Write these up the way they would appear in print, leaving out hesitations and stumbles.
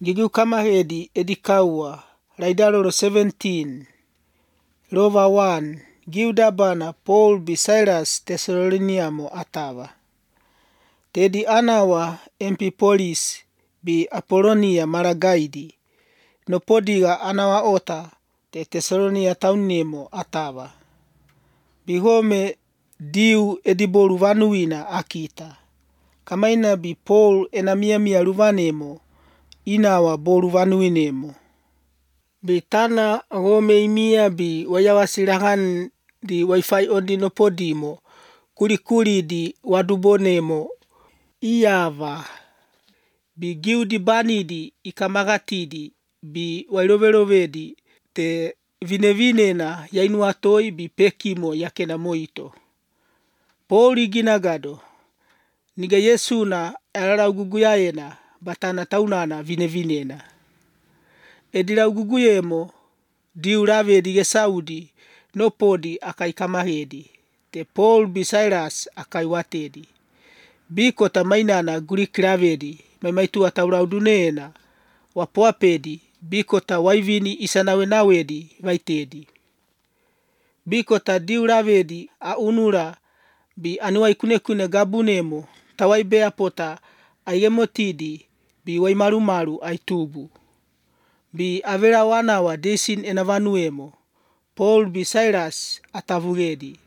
Gigiu kamahedi edikaua, Laidalolo 17, Lova 1, Giudabana Paul bi Silas Tesaloniamo atava. Tedi anawa Empipolis bi Apolonia maragaidi, no podiga anawa ota te Tesalonia taunimo atava. Bihome diu ediboru vanuina akita. Kamaina bi Paul enamia luvanemo, inawa boru vanuinemo. Bitana gome imia bi wayawasilahan di wifi ondi no podimo, kuli di wadubonemo, iyava. Bi giudi banidi ikamagatidi bi wailovelovedi te vinevinena yainuatoi bi pekimo yakena moito. Pauli ginagado, niga Yesuna alarauguguyaena batana taunana vinevinena. Edilauguguyemo diu lavedi gesaudi no podi akaikamahedi. Te Paul bi Silas akaiwatedi. Biko tamainana Greek lavedi maimaitua tauraudunena wapoapedi biko ta waivini isanawenawedi vaitedi. Biko ta diu lavedi aunura bi anuaikunekune gabunemo tawaibea pota aigemotidi bi waimarumaru aitubu. Bi avera wanawa desin enavanuemo, Paul bi Silas atavugedi.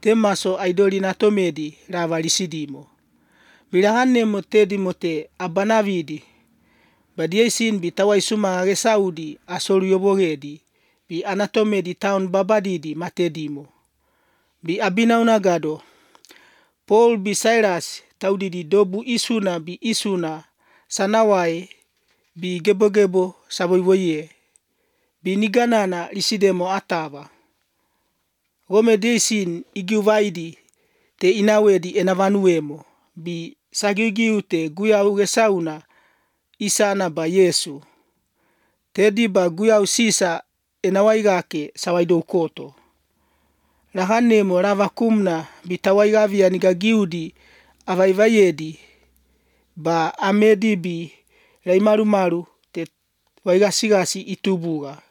Temaso aidoli natomedi ravalisidimo. Bilahanemo tedimote abanavidi. Badiesin bi tawaisuma agesaudi asoluyobogedi. Bi anatomedi taun babadidi matedimo. Bi abinaunagado, Paul bi Silas taudidi dobu isuna bi isuna sanawai bi gebo saboivoye. Bi niganana lisidemo atava. Gome desin igiuvaidi te inawedi enavanuemo. Bi sagigiu te guyau gesauna isana ba Yesu. Tedi ba guyau sisa enawaigake sawaidokoto. Lahanemo lavakumna bitawaigavia nigagiudi avaivayedi ba amedi bi laimarumaru te waigasigasi itubuga.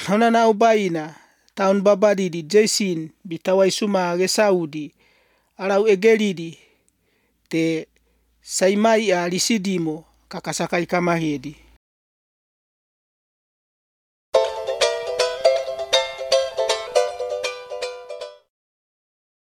Honana ubaina taun babadidi Jason bitawaisuma gesaudi alau egelidi te saimai lisidimo kakasakai kamahedi.